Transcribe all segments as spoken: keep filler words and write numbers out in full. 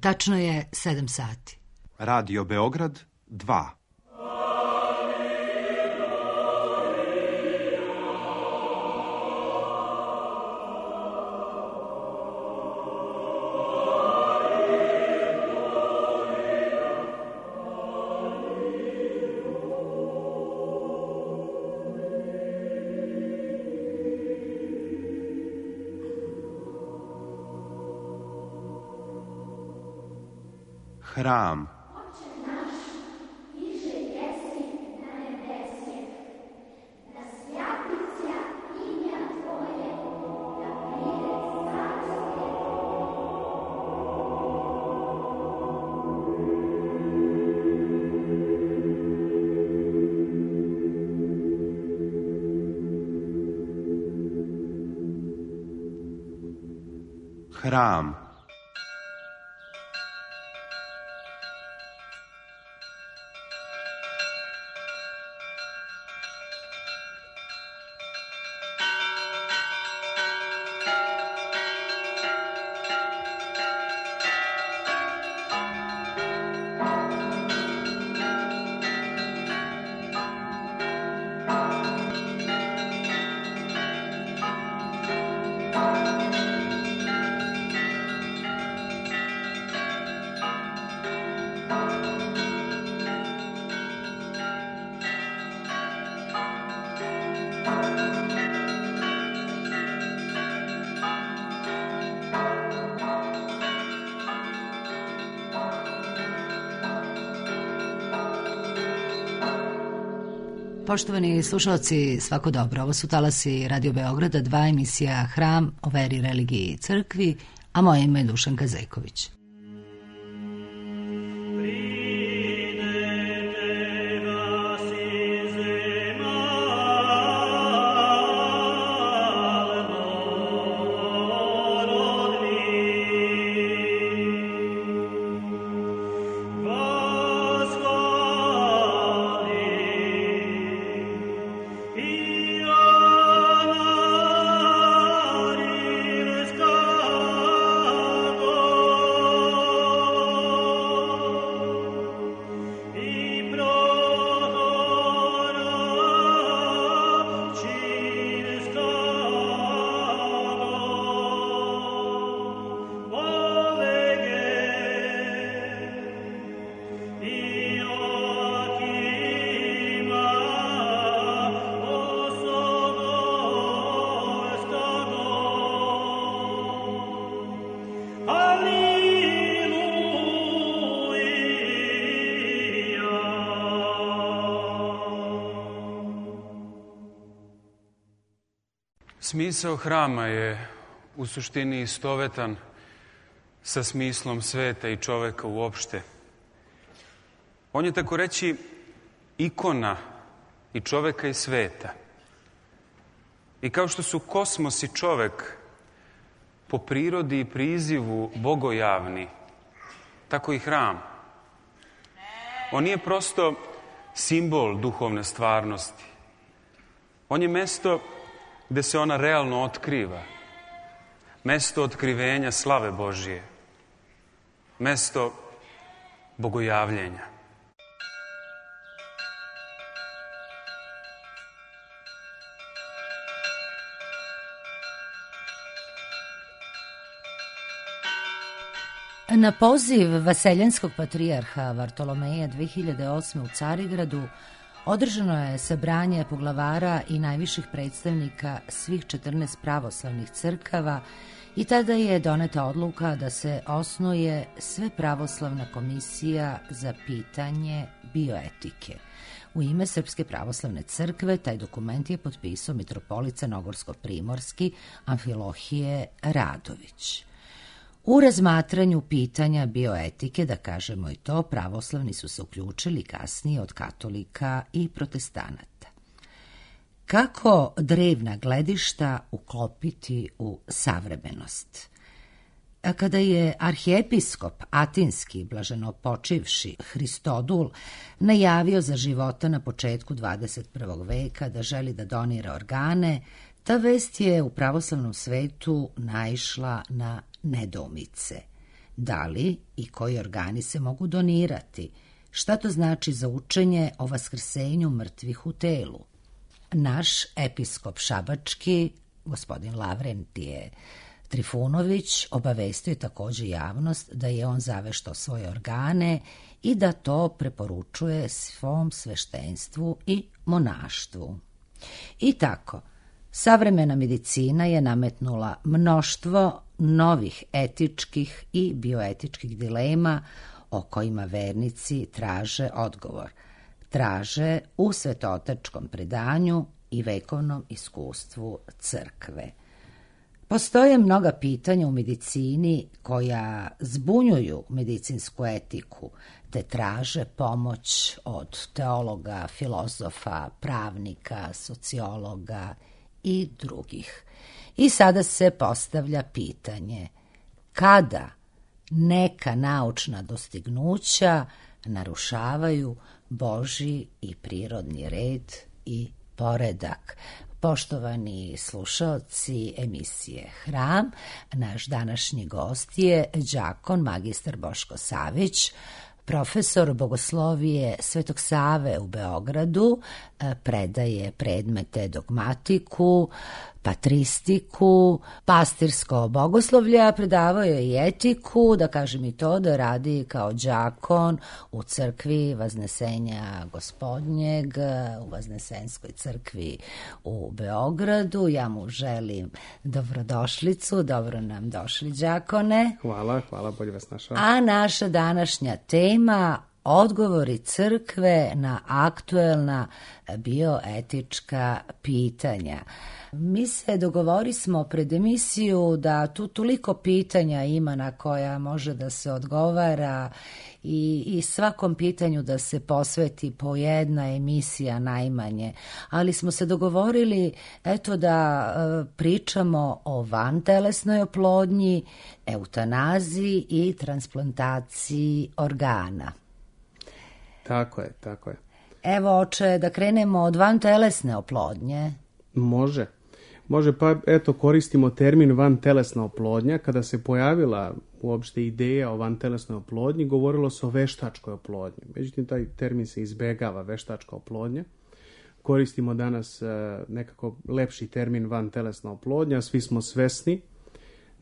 Tačno je sedam sati. Radio Beograd dva. Hram. Hram. Poštovani slušalci, svako dobro. Ovo su talasi Radio Beograda, dva, emisija Hram o veri, religiji i crkvi, a moje ime je Dušanka Zejković. Smisao hrama je u suštini istovetan sa smislom sveta i čoveka uopšte. On je, tako reći, ikona i čoveka i sveta. I kao što su kosmos i čovek po prirodi i prizivu bogojavni, tako i hram. On nije prosto simbol duhovne stvarnosti. On je mesto gde se ona realno otkriva. Mesto otkrivenja slave Božije. Mesto bogojavljenja. Na poziv vaseljenskog patrijarha Vartolomeja dve hiljade osme. u Carigradu održano je sabranje poglavara i najviših predstavnika svih četrnaest pravoslavnih crkava i tada je doneta odluka da se osnuje Svepravoslavna komisija za pitanje bioetike. U ime Srpske pravoslavne crkve taj dokument je potpisao mitropolit crnogorsko-primorski Amfilohije Radović. U razmatranju pitanja bioetike, da kažemo i to, pravoslavni su se uključili kasnije od katolika i protestanata. Kako drevna gledišta uklopiti u savremenost? Kada je arhijepiskop atinski blaženopočivši Hristodul najavio za života na početku dvadeset prvog veka da želi da donira organe, ta vest je u pravoslavnom svetu naišla na nedoumice. Da li i koji organi se mogu donirati? Šta to znači za učenje o vaskrsenju mrtvih u telu? Naš episkop šabački, gospodin Lavrentije Trifunović, obavestio je također javnost da je on zaveštao svoje organe i da to preporučuje svom sveštenstvu i monaštvu. I tako, savremena medicina je nametnula mnoštvo novih etičkih i bioetičkih dilema o kojima vernici traže odgovor. Traže u svetotačkom predanju i vekovnom iskustvu crkve. Postoje mnoga pitanja u medicini koja zbunjuju medicinsku etiku, te traže pomoć od teologa, filozofa, pravnika, sociologa i drugih. I sada se postavlja pitanje kada neka naučna dostignuća narušavaju Božji i prirodni red i poredak. Poštovani slušaoci emisije Hram, naš današnji gost je đakon magistar Boško Savić, profesor bogoslovije Svetog Save u Beogradu, predaje predmete dogmatiku, patristiku, pastirsko bogoslovlje, a predavao je i etiku, da kažem i to da radi kao đakon u crkvi Vaznesenja Gospodnjeg, u Vaznesenskoj crkvi u Beogradu. Ja mu želim dobrodošlicu, dobro nam došli đakone. Hvala, hvala, bolje vas našao. A naša današnja tema: odgovori crkve na aktuelna bioetička pitanja. Mi se dogovorismo pred emisiju da tu toliko pitanja ima na koja može da se odgovara i, i svakom pitanju da se posveti po jedna emisija najmanje, ali smo se dogovorili eto da e, pričamo o vantelesnoj oplodnji, eutanaziji i transplantaciji organa. Tako je, tako je. Evo, oče, da krenemo od vantelesne oplodnje. Može. Može, pa eto koristimo termin vantelesna oplodnja. Kada se pojavila uopšte ideja o vantelesnoj oplodnji, govorilo se o veštačkoj oplodnji. Međutim, taj termin se izbegava, veštačka oplodnja. Koristimo danas nekako lepši termin vantelesna oplodnja. Svi smo svesni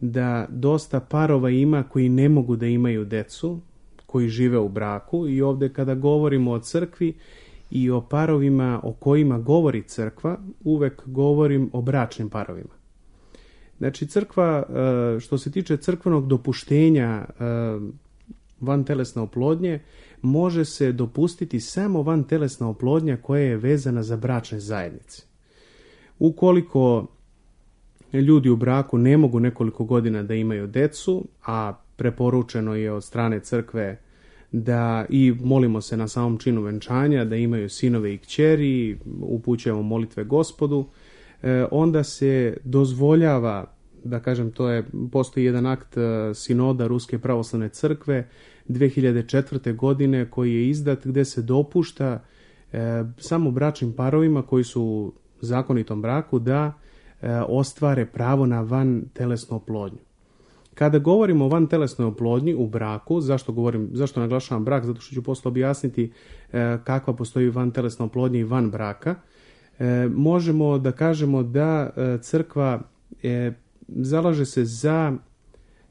da dosta parova ima koji ne mogu da imaju decu, koji žive u braku, i ovdje kada govorimo o crkvi i o parovima o kojima govori crkva, uvek govorim o bračnim parovima. Znači, crkva, što se tiče crkvenog dopuštenja vantelesne oplodnje, može se dopustiti samo vantelesna oplodnja koja je vezana za bračne zajednice. Ukoliko ljudi u braku ne mogu nekoliko godina da imaju decu, a preporučeno je od strane crkve da, i molimo se na samom činu venčanja, da imaju sinove i kćeri, upućujemo molitve Gospodu, e, onda se dozvoljava, da kažem, to je, postoji jedan akt sinoda Ruske pravoslavne crkve dve hiljade četvrte. godine koji je izdat, gde se dopušta e, samo bračnim parovima koji su u zakonitom braku da e, ostvare pravo na vantelesnu oplodnju. Kada govorimo o vantelesnoj oplodnji u braku, zašto govorim, zašto naglašavam brak? Zato što ću posle objasniti e, kakva postoji vantelesna oplodnja i van braka. E, možemo da kažemo da e, crkva e, zalaže se za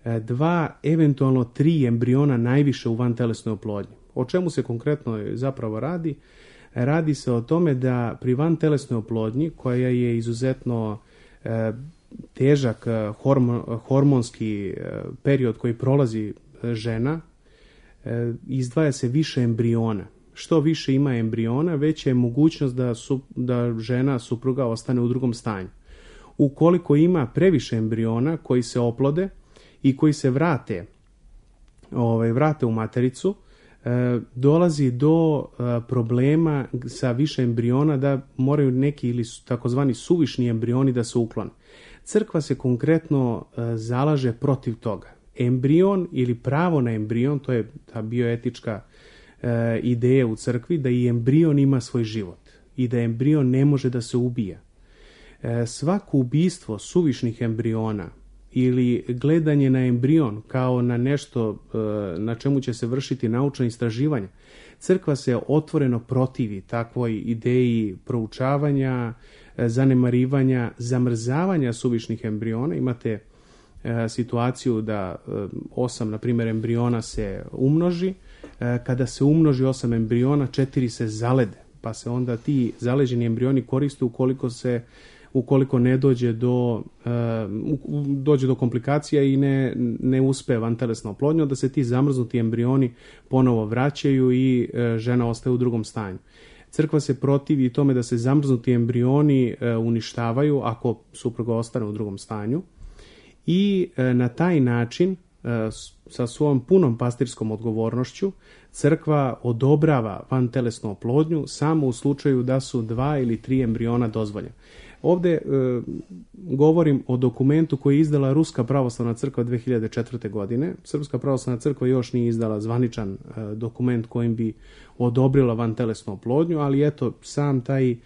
e, dva, eventualno tri embriona najviše u vantelesnoj oplodnji. O čemu se konkretno zapravo radi? Radi se o tome da pri vantelesnoj oplodnji, koja je izuzetno e, težak hormon, hormonski period koji prolazi žena, izdvaja se više embriona. Što više ima embriona, veća je mogućnost da, su, da žena, supruga, ostane u drugom stanju. Ukoliko ima previše embriona koji se oplode i koji se vrate, ovaj, vrate u matericu, dolazi do problema sa više embriona da moraju neki ili takozvani suvišni embrioni da se uklone. Crkva se konkretno zalaže protiv toga. Embrion ili pravo na embrion, to je ta bioetička ideja u crkvi, da i embrion ima svoj život i da embrion ne može da se ubija. Svako ubistvo suvišnih embriona ili gledanje na embrion kao na nešto na čemu će se vršiti naučna istraživanja. Crkva se otvoreno protivi takvoj ideji proučavanja, zanemarivanja, zamrzavanja suvišnih embriona. Imate situaciju da osam, na primjer, embriona se umnoži. Kada se umnoži osam embriona, četiri se zalede, pa se onda ti zaleđeni embrioni koriste ukoliko se ukoliko ne dođe do dođe do komplikacija i ne, ne uspe vantelesna oplodnja, da se ti zamrznuti embrioni ponovo vraćaju i žena ostaje u drugom stanju. Crkva se protivi tome da se zamrznuti embrioni uništavaju ako supruga ostane u drugom stanju i na taj način sa svojom punom pastirskom odgovornošću crkva odobrava vantelesnu oplodnju samo u slučaju da su dva ili tri embriona dozvoljena. Ovdje e, govorim o dokumentu koji je izdala Ruska pravoslavna crkva dve hiljade četvrte. godine. Srpska pravoslavna crkva još nije izdala zvaničan e, dokument kojim bi odobrila vantelesnu oplodnju, ali eto, sam taj e,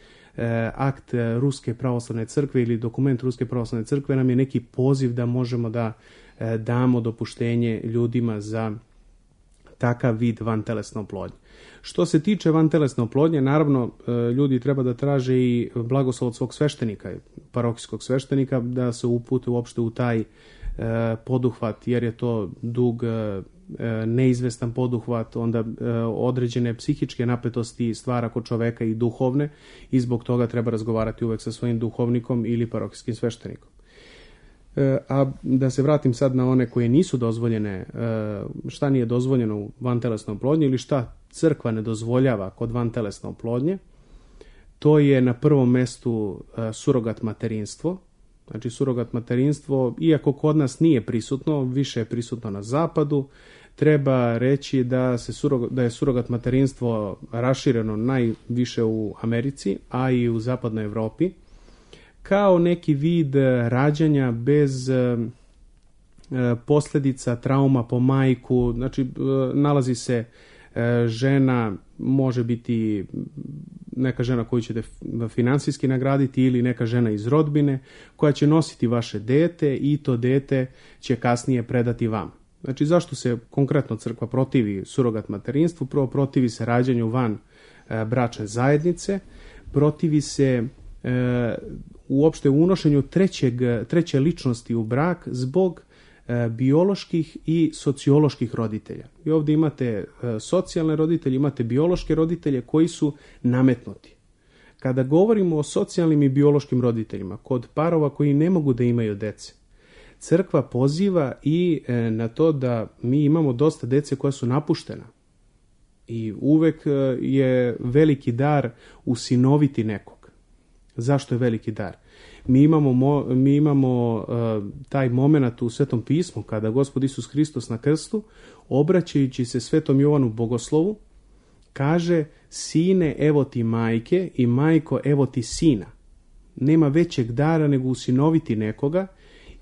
akt Ruske pravoslavne crkve ili dokument Ruske pravoslavne crkve nam je neki poziv da možemo da e, damo dopuštenje ljudima za takav vid vantelesne oplodnje. Što se tiče vantelesne oplodnje, naravno ljudi treba da traže i blagoslov od svog sveštenika, parohijskog sveštenika, da se upute uopšte u taj poduhvat, jer je to dug, neizvestan poduhvat, onda određene psihičke napetosti stvara kod čoveka i duhovne i zbog toga treba razgovarati uvek sa svojim duhovnikom ili parohijskim sveštenikom. A da se vratim sad na one koje nisu dozvoljene, šta nije dozvoljeno u vantelesnoj oplodnji ili šta crkva ne dozvoljava kod vantelesne oplodnje, to je na prvom mestu surogat materinstvo. Znači surogat materinstvo, iako kod nas nije prisutno, više je prisutno na zapadu, treba reći da, se surogat, da je surogat materinstvo rašireno najviše u Americi, a i u zapadnoj Evropi, kao neki vid rađanja bez e, posljedica trauma po majku. Znači, e, nalazi se e, žena, može biti neka žena koju ćete finansijski nagraditi ili neka žena iz rodbine koja će nositi vaše dete i to dete će kasnije predati vam. Znači, zašto se konkretno crkva protivi surogat materinstvu? Prvo, protivi se rađanju van e, bračne zajednice, protivi se e, uopšte unošenju trećeg, treće ličnosti u brak zbog e, bioloških i socioloških roditelja. I ovdje imate e, socijalne roditelje, imate biološke roditelje koji su nametnuti. Kada govorimo o socijalnim i biološkim roditeljima, kod parova koji ne mogu da imaju dece, crkva poziva i e, na to da mi imamo dosta dece koja su napuštena. I uvek e, je veliki dar usinoviti nekog. Zašto je veliki dar? Mi imamo, mo, mi imamo uh, taj moment u Svetom pismu kada Gospod Isus Hristos na krstu, obraćajući se Svetom Jovanu Bogoslovu, kaže: sine, evo ti majke, i majko, evo ti sina. Nema većeg dara nego usinoviti nekoga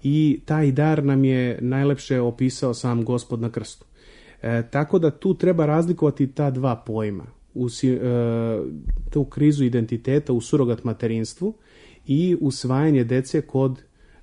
i taj dar nam je najlepše opisao sam Gospod na krstu. E, tako da tu treba razlikovati ta dva pojma. U, e, tu krizu identiteta u surogat materinstvu i usvajanje dece kod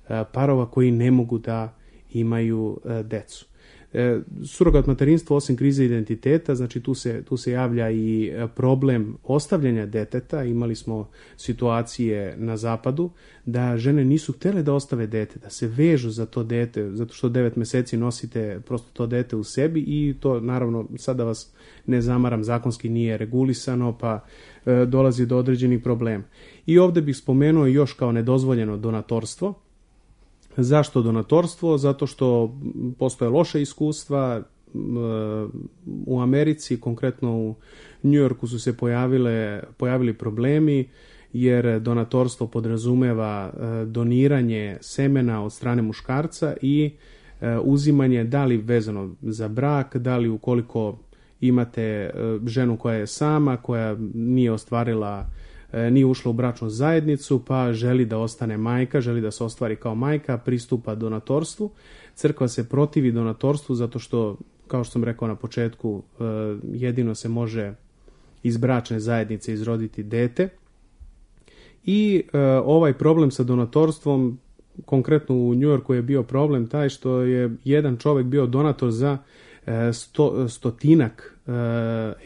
e, parova koji ne mogu da imaju e, decu. E, surogat materinstvo, osim krize identiteta, znači tu se, tu se javlja i problem ostavljanja deteta. Imali smo situacije na zapadu da žene nisu htjele da ostave dete, da se vežu za to dete, zato što devet meseci nosite prosto to dete u sebi i to, naravno, sada vas ne zamaram, zakonski nije regulisano, pa e, dolazi do određenih problema. I ovdje bih spomenuo još kao nedozvoljeno donatorstvo. Zašto donatorstvo? Zato što postoje loše iskustva. U Americi, konkretno u New Yorku, su se pojavile, pojavili problemi jer donatorstvo podrazumeva doniranje semena od strane muškarca i uzimanje, da li vezano za brak, da li ukoliko imate ženu koja je sama, koja nije ostvarila, nije ušla u bračnu zajednicu, pa želi da ostane majka, želi da se ostvari kao majka, pristupa donatorstvu. Crkva se protivi donatorstvu zato što, kao što sam rekao na početku, jedino se može iz bračne zajednice izroditi dete. I ovaj problem sa donatorstvom konkretno u Njujorku je bio problem taj što je jedan čovjek bio donator za sto, stotinak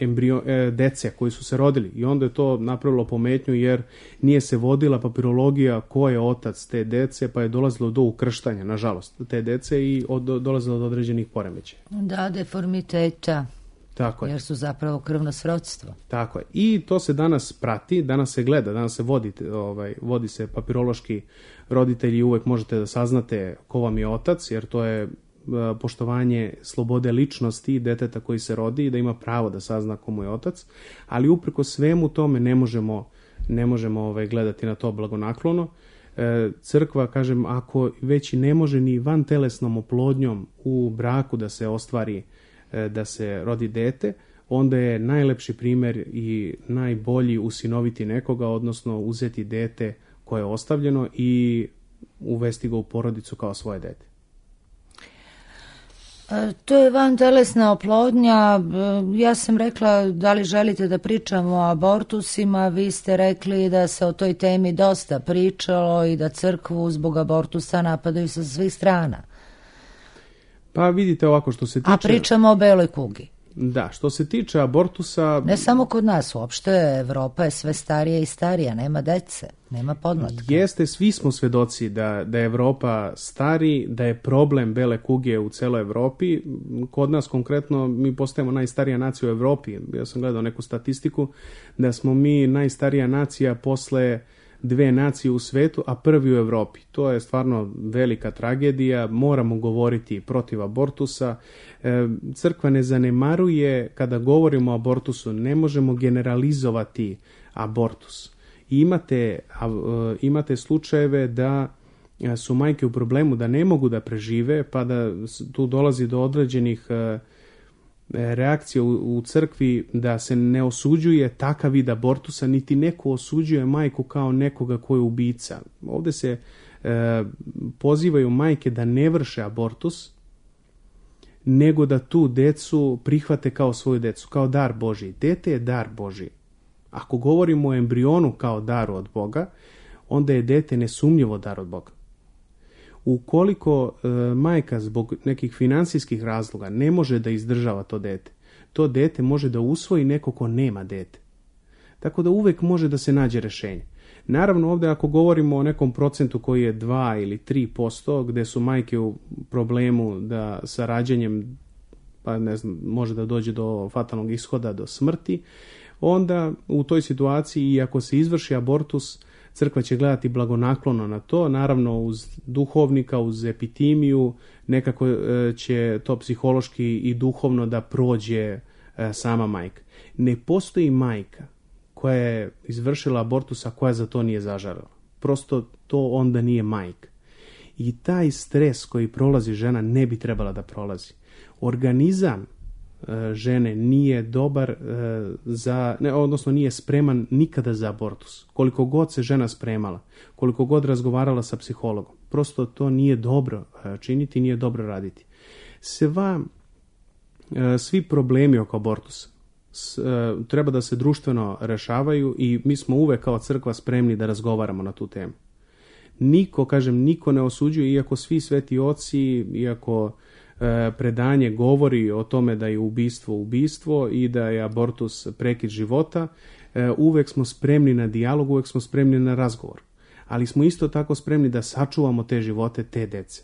embrio, dece koji su se rodili i onda je to napravilo pometnju jer nije se vodila papirologija ko je otac te dece, pa je dolazilo do ukrštanja, nažalost, te dece i od, dolazilo do određenih poremećaja. Da, deformiteta. Tako je. Jer su zapravo krvno srodstvo. Tako je. I to se danas prati, danas se gleda, danas se vodi, ovaj, vodi se papirološki roditelji, uvek možete da saznate ko vam je otac, jer to je poštovanje slobode ličnosti deteta koji se rodi i da ima pravo da sazna ko mu je otac, ali upreko svemu tome ne možemo, ne možemo ovaj, gledati na to blagonaklono. E, crkva, kažem, ako već i ne može ni vantelesnom oplodnjom u braku da se ostvari, e, da se rodi dete, onda je najlepši primjer i najbolji usinoviti nekoga, odnosno uzeti dete koje je ostavljeno i uvesti ga u porodicu kao svoje dete. To je vantelesna oplodnja. Ja sam rekla da li želite da pričamo o abortusima, vi ste rekli da se o toj temi dosta pričalo i da crkvu zbog abortusa napadaju sa svih strana. Pa vidite ovako što se tiče... A pričamo o beloj kugi. Da, što se tiče abortusa... Ne samo kod nas, uopšte Evropa je sve starija i starija, nema dece, nema podmlatka. Jeste, svi smo svedoci da, da je Evropa stari, da je problem bele kuge u celoj Evropi. Kod nas konkretno mi postajemo najstarija nacija u Evropi. Ja sam gledao neku statistiku da smo mi najstarija nacija posle dve nacije u svetu, a prvi u Evropi. To je stvarno velika tragedija, moramo govoriti protiv abortusa. Crkva ne zanemaruje, kada govorimo o abortusu, ne možemo generalizovati abortus. Imate, imate slučajeve da su majke u problemu, da ne mogu da prežive, pa da tu dolazi do određenih reakcija u, u crkvi da se ne osuđuje takav vid abortusa, niti neko osuđuje majku kao nekoga ko je ubica. Ovdje se e, pozivaju majke da ne vrše abortus, nego da tu decu prihvate kao svoju decu, kao dar Božji. Dete je dar Božji. Ako govorimo o embrionu kao daru od Boga, onda je dete nesumnjivo dar od Boga. Ukoliko e, majka zbog nekih finansijskih razloga ne može da izdržava to dete, to dete može da usvoji neko ko nema dete. Tako da uvek može da se nađe rešenje. Naravno ovdje ako govorimo o nekom procentu koji je dva ili tri posto gdje su majke u problemu da sa rađanjem pa ne znam, može da dođe do fatalnog ishoda, do smrti, onda u toj situaciji i ako se izvrši abortus, crkva će gledati blagonaklono na to, naravno uz duhovnika, uz epitimiju, nekako će to psihološki i duhovno da prođe sama majka. Ne postoji majka koja je izvršila abortus, a koja za to nije zažalila. Prosto to onda nije majka. I taj stres koji prolazi žena ne bi trebala da prolazi. Organizam žene nije dobar za, ne, odnosno nije spreman nikada za abortus. Koliko god se žena spremala, koliko god razgovarala sa psihologom, prosto to nije dobro činiti, nije dobro raditi. Sva, svi problemi oko abortusa treba da se društveno rešavaju i mi smo uvek kao crkva spremni da razgovaramo na tu temu. Niko, kažem, niko ne osuđuje, iako svi sveti oci, iako predanje govori o tome da je ubistvo ubistvo i da je abortus prekid života, uvek smo spremni na dijalog, uvek smo spremni na razgovor. Ali smo isto tako spremni da sačuvamo te živote, te dece.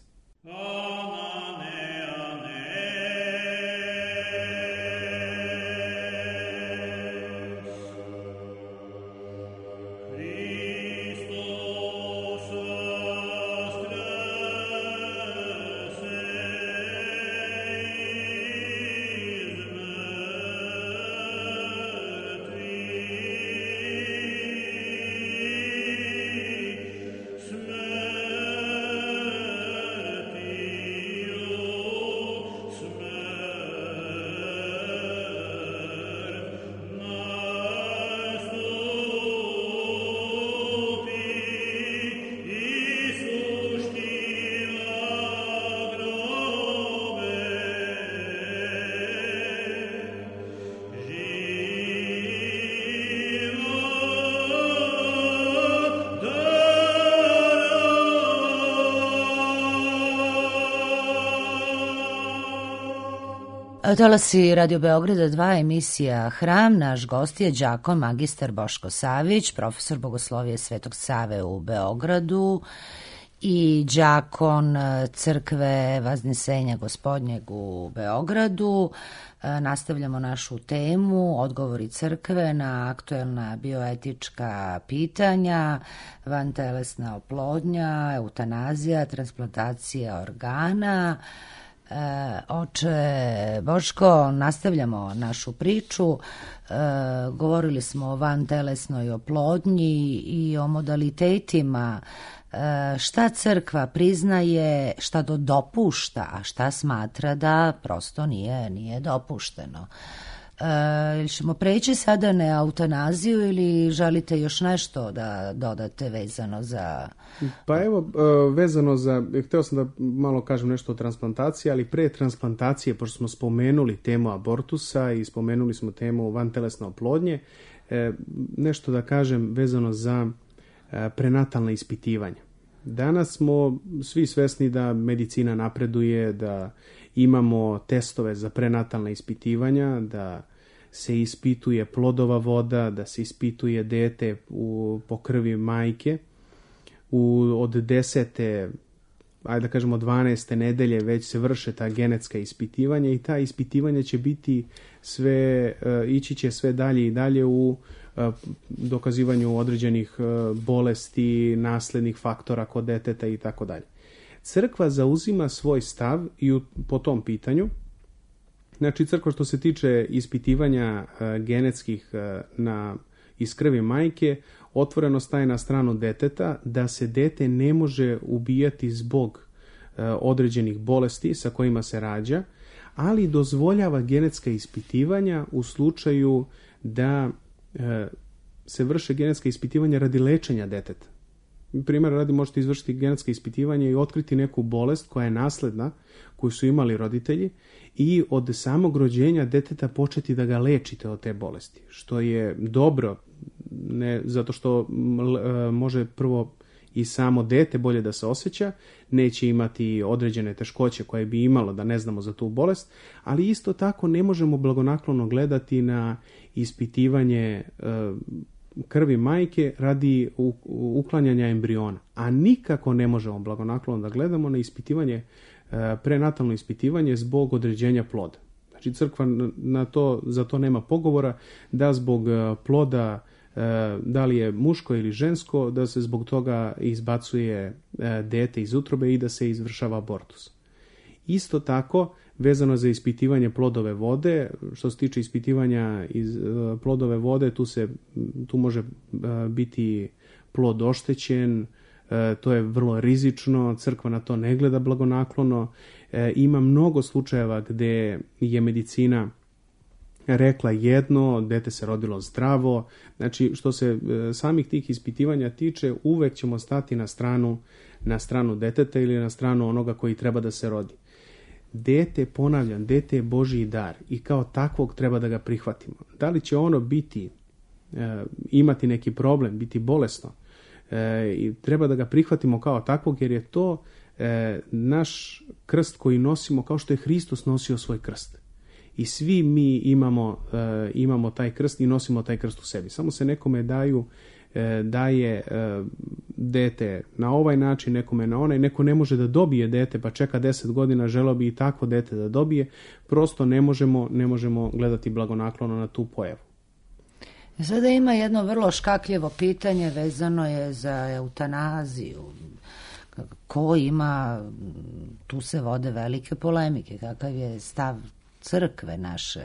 Talasi Radio Beograda dva, emisija Hram. Naš gost je đakon magistar Boško Savić, profesor bogoslovije Svetog Save u Beogradu i đakon crkve Vaznesenja Gospodnjeg u Beogradu. Nastavljamo našu temu, odgovori crkve na aktuelna bioetička pitanja, vantelesna oplodnja, eutanazija, transplantacija organa. E, oče Boško, nastavljamo našu priču. E, govorili smo o vantelesnoj oplodnji i o modalitetima. E, šta crkva priznaje, šta do dopušta, a šta smatra da prosto nije, nije dopušteno. E, ćemo preći sada na eutanaziju ili želite još nešto da dodate vezano za... Pa evo, vezano za, htio sam da malo kažem nešto o transplantaciji, ali pre transplantacije, pošto smo spomenuli temu abortusa i spomenuli smo temu vantelesne oplodnje, nešto da kažem vezano za prenatalna ispitivanja. Danas smo svi svesni da medicina napreduje, da imamo testove za prenatalna ispitivanja, da se ispituje plodova voda, da se ispituje dete u, po krvi majke. U, od desete, ajde da kažemo dvanaeste nedelje već se vrše ta genetska ispitivanja i ta ispitivanja će biti sve, ići će sve dalje i dalje u dokazivanju određenih bolesti, naslednih faktora kod deteta i tako dalje. Crkva zauzima svoj stav i u, po tom pitanju. Znači, crkva što se tiče ispitivanja uh, genetskih uh, na, iz krvi majke, otvoreno staje na stranu deteta da se dete ne može ubijati zbog uh, određenih bolesti sa kojima se rađa, ali dozvoljava genetska ispitivanja u slučaju da uh, se vrše genetska ispitivanja radi lečenja deteta. Primjer radi, možete izvršiti genetsko ispitivanje i otkriti neku bolest koja je nasledna, koju su imali roditelji, i od samog rođenja deteta početi da ga lečite od te bolesti, što je dobro, ne zato što e, može prvo i samo dete bolje da se osjeća, neće imati određene teškoće koje bi imalo da ne znamo za tu bolest, ali isto tako ne možemo blagonaklono gledati na ispitivanje e, krvi majke radi uklanjanja embriona, a nikako ne možemo blagonaklono da gledamo na ispitivanje, prenatalno ispitivanje zbog određenja ploda. Znači, crkva na to, za to nema pogovora da zbog ploda, da li je muško ili žensko, da se zbog toga izbacuje dete iz utrobe i da se izvršava abortus. Isto tako, vezano za ispitivanje plodove vode, što se tiče ispitivanja iz uh, plodove vode, tu, se, tu može uh, biti plod oštećen, uh, to je vrlo rizično, crkva na to ne gleda blagonaklono. Uh, ima mnogo slučajeva gde je medicina rekla jedno, dete se rodilo zdravo. Znači, što se uh, samih tih ispitivanja tiče, uvek ćemo stati na stranu, na stranu deteta ili na stranu onoga koji treba da se rodi. Dete, ponavljam, dete je Božji dar i kao takvog treba da ga prihvatimo. Da li će ono biti, e, imati neki problem, biti bolesno, e, i treba da ga prihvatimo kao takvog, jer je to e, naš krst koji nosimo kao što je Hristos nosio svoj krst. I svi mi imamo, e, imamo taj krst i nosimo taj krst u sebi. Samo se nekome daju daje dete na ovaj način, nekome na onaj, neko ne može da dobije dete pa čeka deset godina, želeo bi i takvo dete da dobije, prosto ne možemo, ne možemo gledati blagonaklono na tu pojavu. Sada ima jedno vrlo škakljivo pitanje, vezano je za eutanaziju. Ko ima, tu se vode velike polemike, kakav je stav crkve naše,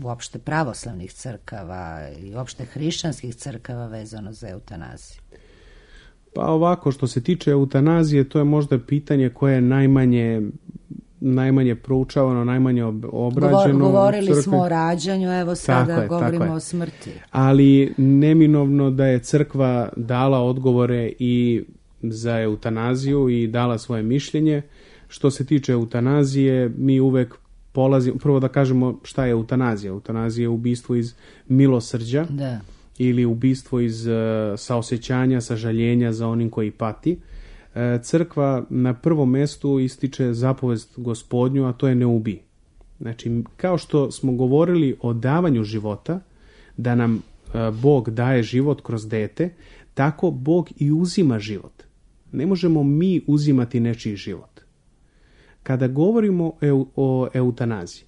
uopšte pravoslavnih crkava i uopšte hrišćanskih crkava vezano za eutanaziju? Pa ovako, što se tiče eutanazije, to je možda pitanje koje je najmanje, najmanje proučavano, najmanje obrađeno. Govorili smo o rađanju, evo sada tako je, govorimo tako o smrti. Ali neminovno da je crkva dala odgovore i za eutanaziju i dala svoje mišljenje. Što se tiče eutanazije, mi uvek polazimo, prvo da kažemo šta je eutanazija. Eutanazija je ubistvo iz milosrđa, da, ili ubistvo iz uh, saosećanja, sažaljenja za onim koji pati. Uh, crkva na prvom mestu ističe zapovest Gospodnju, a to je ne ubij. Znači, kao što smo govorili o davanju života, da nam Bog daje život kroz dete, tako Bog i uzima život. Ne možemo mi uzimati nečiji život. Kada govorimo o eutanaziji,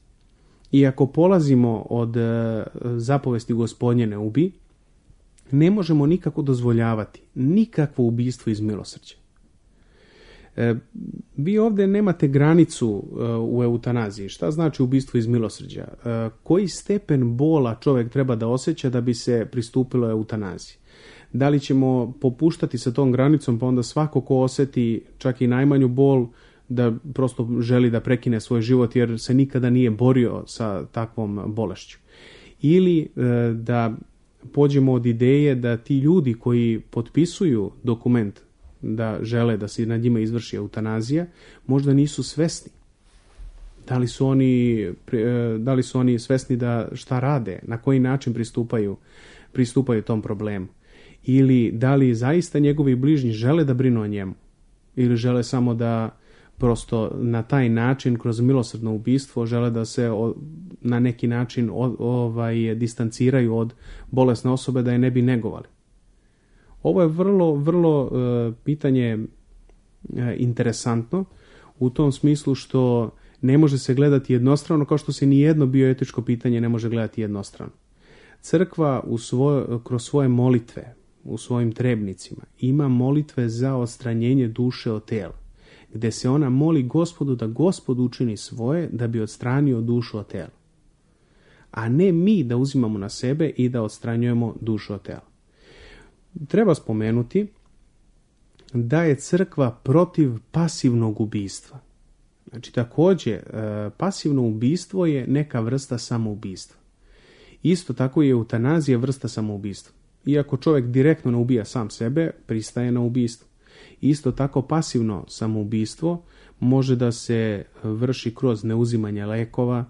i ako polazimo od zapovesti Gospodnje ne ubi, ne možemo nikako dozvoljavati nikakvo ubistvo iz milosrđa. E, vi ovdje nemate granicu e, u eutanaziji. Šta znači ubistvo iz milosrđa? E, koji stepen bola čovjek treba da osjeća da bi se pristupilo eutanaziji? Da li ćemo popuštati sa tom granicom, pa onda svako ko osjeti čak i najmanju bol, da prosto želi da prekine svoj život jer se nikada nije borio sa takvom bolešću? Ili e, da pođemo od ideje da ti ljudi koji potpisuju dokument da žele da se nad njima izvrši eutanazija, možda nisu svesni. Da li su oni, da li su oni svesni da šta rade, na koji način pristupaju, pristupaju tom problemu? Ili da li zaista njegovi bližnji žele da brinu o njemu? Ili žele samo da prosto na taj način, kroz milosrdno ubistvo, žele da se o, na neki način o, ovaj, distanciraju od bolesne osobe, da je ne bi negovali? Ovo je vrlo, vrlo uh, pitanje uh, interesantno u tom smislu što ne može se gledati jednostrano, kao što se ni jedno bioetičko pitanje ne može gledati jednostrano. Crkva u svoj, kroz svoje molitve, u svojim trebnicima, ima molitve za odstranjenje duše od tela, gdje se ona moli Gospodu da Gospod učini svoje da bi odstranio dušu od tela. A ne mi da uzimamo na sebe i da odstranjujemo dušu od tela. Treba spomenuti da je crkva protiv pasivnog ubistva. Znači, također, pasivno ubistvo je neka vrsta samoubistva. Isto tako je eutanazija vrsta samoubistva. Iako čovjek direktno ne ubija sam sebe, pristaje na ubistvo. Isto tako pasivno samoubistvo može da se vrši kroz neuzimanje lekova,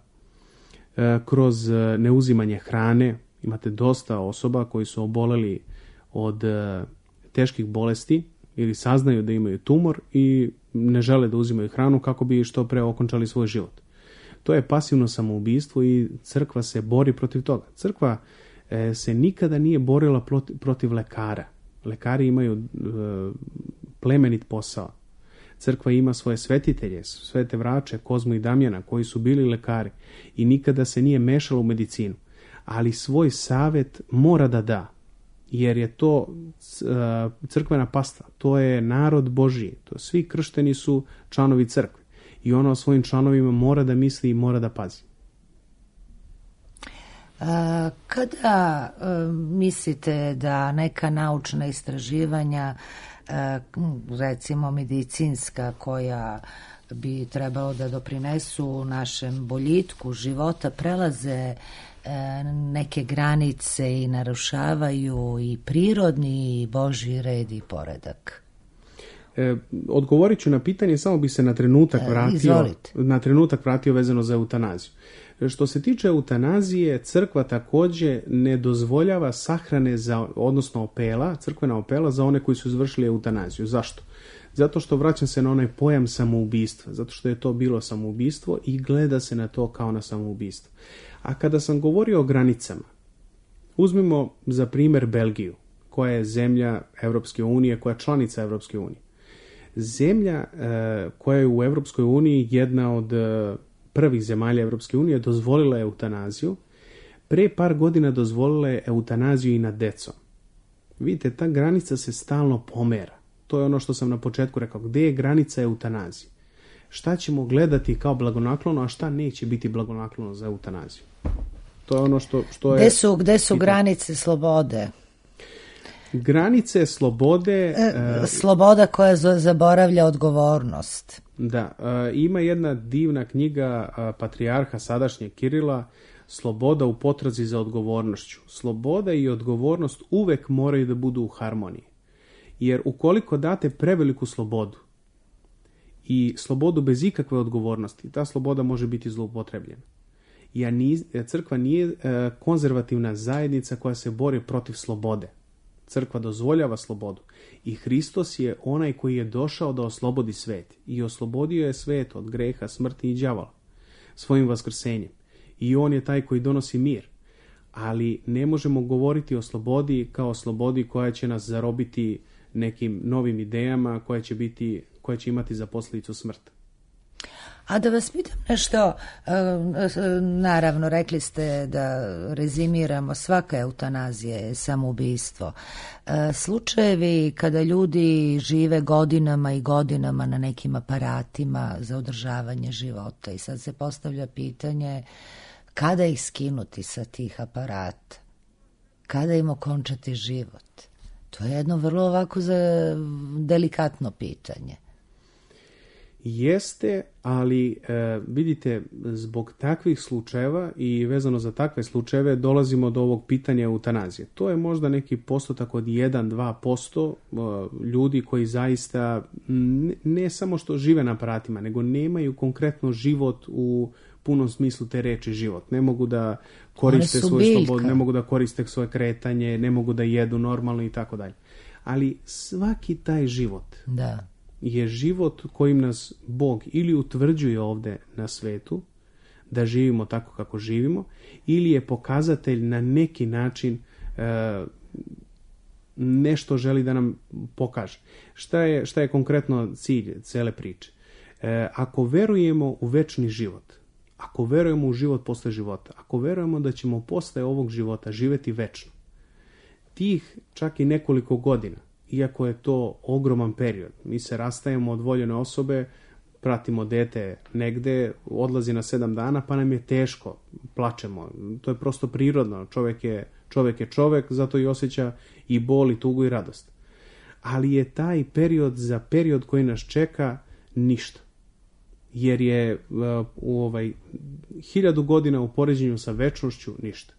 kroz neuzimanje hrane. Imate dosta osoba koji su oboleli od teških bolesti ili saznaju da imaju tumor i ne žele da uzimaju hranu kako bi što pre okončali svoj život. To je pasivno samoubistvo i crkva se bori protiv toga. Crkva e, se nikada nije borila protiv, protiv lekara. Lekari imaju e, plemenit posao. Crkva ima svoje svetitelje, svete vrače, Kozmu i Damjana, koji su bili lekari i nikada se nije mešala u medicinu. Ali svoj savjet mora da da, jer je to crkvena pastva, to je narod Božji, to svi kršteni su članovi crkve i ona o svojim članovima mora da misli i mora da pazi. A, kada a, mislite da neka naučna istraživanja, a, recimo medicinska, koja bi trebalo da doprinesu našem boljitku života, prelaze neke granice i narušavaju i prirodni i Božji red i poredak? E, odgovorit ću na pitanje, samo bi se na trenutak vratio, Izvolite. na trenutak vratio vezano za eutanaziju. Što se tiče eutanazije, crkva također ne dozvoljava sahrane, za, odnosno opela, crkvena opela za one koji su izvršili eutanaziju. Zašto? Zato što vraćam se na onaj pojam samoubistva, zato što je to bilo samoubistvo i gleda se na to kao na samoubistvo. A kada sam govorio o granicama, uzmimo za primjer Belgiju, koja je zemlja Europske unije, koja je članica Europske unije. Zemlja e, koja je u Europskoj uniji jedna od e, prvih zemalja Europske unije dozvolila eutanaziju, pre par godina dozvolila je eutanaziju i nad decom. Vidite, ta granica se stalno pomera. To je ono što sam na početku rekao, gdje je granica eutanazije? Šta ćemo gledati kao blagonaklono, a šta neće biti blagonaklono za eutanaziju? To je ono što, što je... Gde su, gde su granice slobode? Granice slobode... E, sloboda koja zaboravlja odgovornost. Da, e, ima jedna divna knjiga e, patrijarha sadašnjeg Kirila, Sloboda u potrazi za odgovornošću. Sloboda i odgovornost uvek moraju da budu u harmoniji. Jer ukoliko date preveliku slobodu i slobodu bez ikakve odgovornosti, ta sloboda može biti zloupotrebljena. Ja niz, crkva nije e, konzervativna zajednica koja se bori protiv slobode. Crkva dozvoljava slobodu i Hristos je onaj koji je došao da oslobodi svet i oslobodio je svet od greha, smrti i đavola. svojim vaskrsenjem. I on je taj koji donosi mir. Ali ne možemo govoriti o slobodi kao o slobodi koja će nas zarobiti nekim novim idejama, koja će biti, koja će imati za posljedicu smrt. A da vas pitam nešto, naravno rekli ste da rezimiramo, svaka eutanazija je samoubistvo. Slučajevi kada ljudi žive godinama i godinama na nekim aparatima za održavanje života i sad se postavlja pitanje kada ih skinuti sa tih aparata, kada im okončati život. To je jedno vrlo ovako za delikatno pitanje. Jeste, ali e, vidite, zbog takvih slučajeva i vezano za takve slučajeve dolazimo do ovog pitanja eutanazije. To je možda neki postotak od jedan do dva posto e, ljudi koji zaista ne, ne samo što žive na aparatima, nego nemaju konkretno život u punom smislu te reči život. Ne mogu da koriste svoju slobodu, ne mogu da koriste svoje kretanje, ne mogu da jedu normalno i tako dalje. Ali svaki taj život da. je život kojim nas Bog ili utvrđuje ovde na svetu da živimo tako kako živimo, ili je pokazatelj na neki način e, nešto želi da nam pokaže. Šta je, šta je konkretno cilj cele priče? E, ako verujemo u večni život, ako verujemo u život posle života, ako verujemo da ćemo posle ovog života živeti večno, tih čak i nekoliko godina, iako je to ogroman period, mi se rastajemo od voljene osobe, pratimo dete negde, odlazi na sedam dana, pa nam je teško, plačemo. To je prosto prirodno. Čovjek je čovjek, je čovjek, zato i osjeća i bol, i tugu, i radost. Ali je taj period za period koji nas čeka ništa. Jer je u ovaj hiljadu godina u poređenju sa večnošću ništa.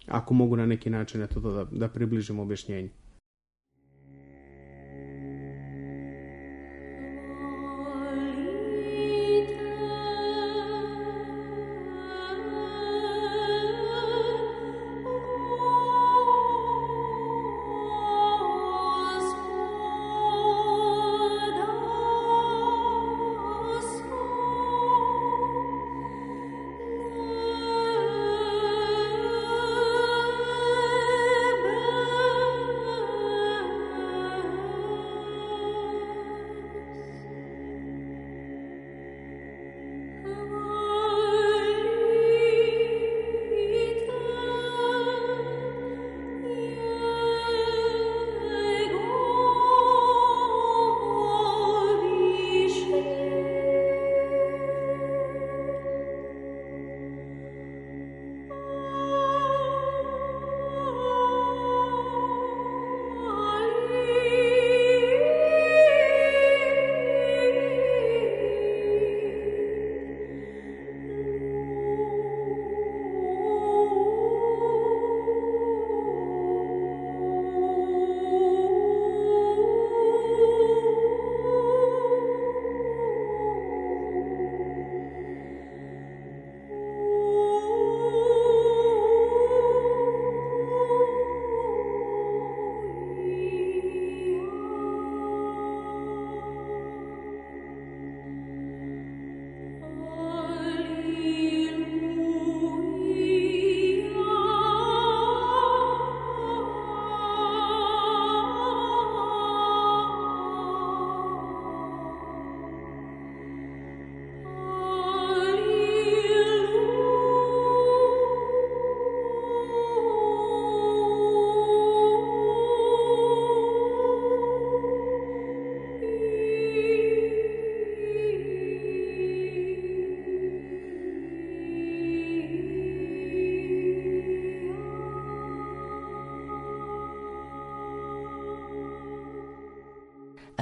Ako mogu na neki način eto to da, da približim objašnjenje.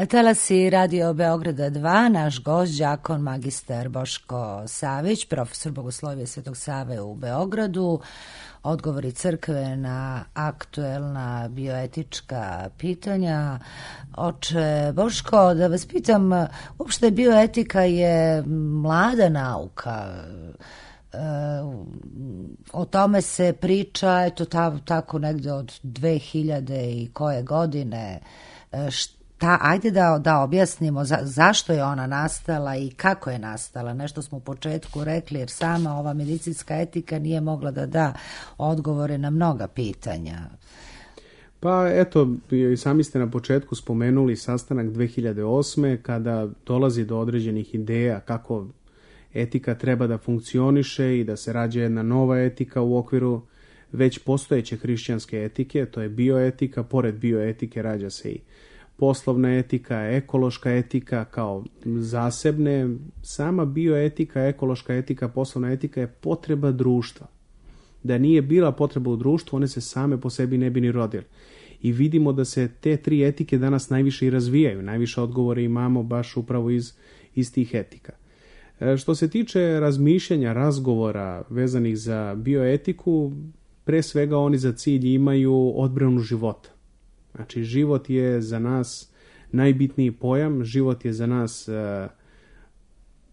Talasi Radio Beograda dva, naš gost, đakon magistar Boško Savić, profesor Bogoslovije Svetog Save u Beogradu, odgovori crkve na aktuelna bioetička pitanja. Oče Boško, da vas pitam, uopšte bioetika je mlada nauka, o tome se priča, eto ta, tako negde od dve hiljade i koje godine. ta, ajde da, da objasnimo za, zašto je ona nastala i kako je nastala. Nešto smo u početku rekli, jer sama ova medicinska etika nije mogla da da odgovore na mnoga pitanja. Pa eto, i sami ste na početku spomenuli sastanak dve hiljade osme kada dolazi do određenih ideja kako etika treba da funkcioniše i da se rađa jedna nova etika u okviru već postojeće hrišćanske etike, to je bioetika, pored bioetike rađa se i poslovna etika, ekološka etika kao zasebne. Sama bioetika, ekološka etika, poslovna etika je potreba društva. Da nije bila potreba u društvu, one se same po sebi ne bi ni rodile. I vidimo da se te tri etike danas najviše i razvijaju. Najviše odgovore imamo baš upravo iz, iz tih etika. E, što se tiče razmišljanja, razgovora vezanih za bioetiku, pre svega oni za cilj imaju odbranu života. Znači, život je za nas najbitniji pojam, život je za nas e,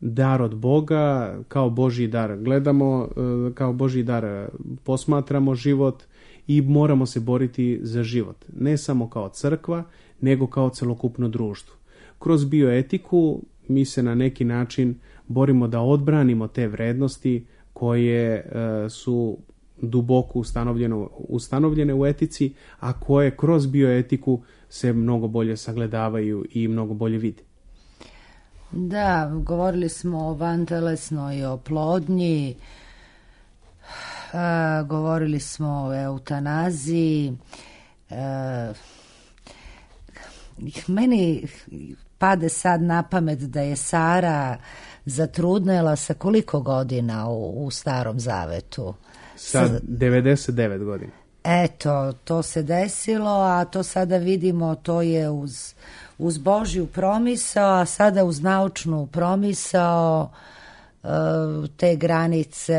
dar od Boga, kao Božji dar gledamo, e, kao Božji dar posmatramo život i moramo se boriti za život. Ne samo kao crkva, nego kao celokupno društvo. Kroz bioetiku mi se na neki način borimo da odbranimo te vrednosti koje e, su duboko ustanovljene, ustanovljene u etici, a koje kroz bioetiku se mnogo bolje sagledavaju i mnogo bolje vide. Da, govorili smo o vantelesnoj oplodnji, a, govorili smo o eutanaziji. A, meni pade sad na pamet da je Sara zatrudnela sa koliko godina u, u Starom Zavetu? Sa devedeset devet godina. Eto, to se desilo, a to sada vidimo, to je uz, uz Božju promisao, a sada uz naučnu promisao, te granice